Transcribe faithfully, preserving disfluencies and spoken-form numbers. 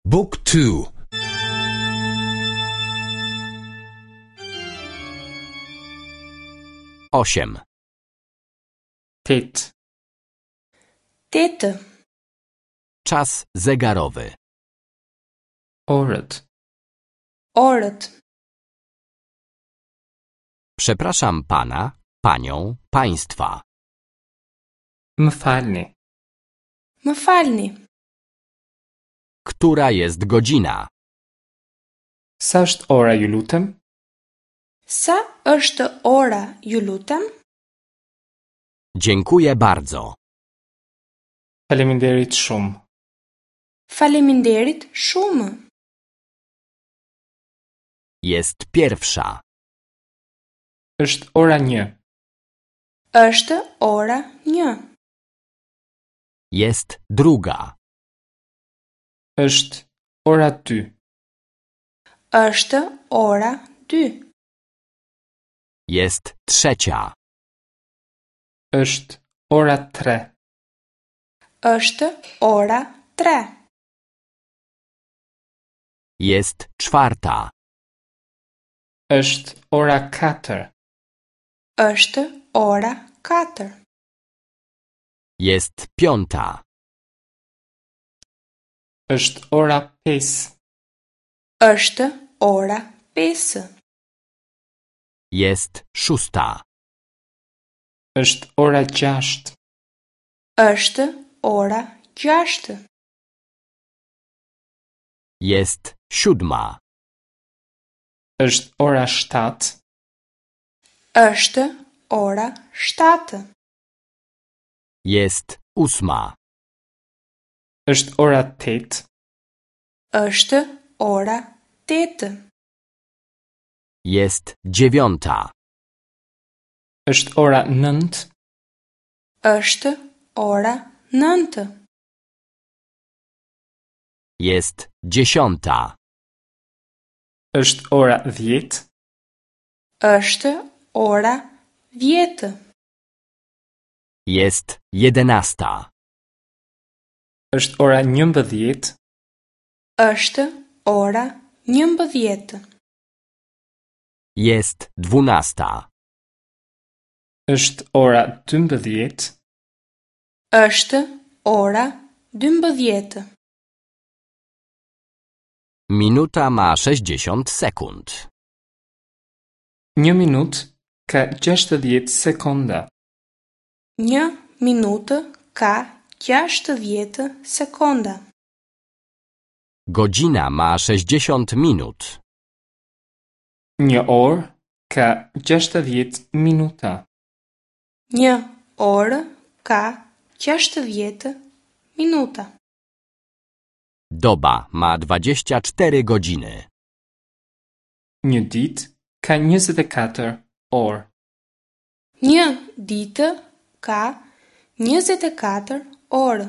Book two. Osiem. Tetë. Tetë. Czas zegarowy. Orët. Orët. Przepraszam pana, panią, państwa. Më falni. Më falni. Która jest godzina? Sa është ora, ju lutem? Sa është ora, ju lutem? Dziękuję bardzo. Faleminderit shumë. Faleminderit shumë. Jest pierwsza. Është ora një. Është ora një. Jest druga. Është ora dy. Është ora dy. Jest trzecia. Është ora tre. Është ora tre. Jest czwarta. Është ora katër. Është ora katër. Jest piąta. Është ora pesë. Është ora pesë. Jest szósta. Është ora gjashtë. Është ora gjashtë. Jest siódma. Është ora shtatë. Është ora shtatë. Jest ósma. Është ora tetë. Është ora tetë. Jest dziewiąta. Është ora nëntë. Është ora nëntë. Jest dziesiąta. Është ora dhjetë. Është ora dhjetë. Jest jedenasta. Është ora njëmbëdhjetë. Është ora njëmbëdhjetë. Jest dwunasta. Është ora dymbëdhjetë. Është ora dymbëdhjetë. Minuta ma sześćdziesiąt sekund. Një minutë ka gjashtëdhjetë sekonda. Një minutë ka gjashtëdhjetë sekonda. Godzina ma sześćdziesiąt minut. Një orë ka gjashtëdhjetë minuta. Një orë ka gjashtëdhjetë minuta. Doba ma dwadzieścia cztery godziny. Një ditë ka njëzet e katër orë. Një ditë ka njëzet e katër orë.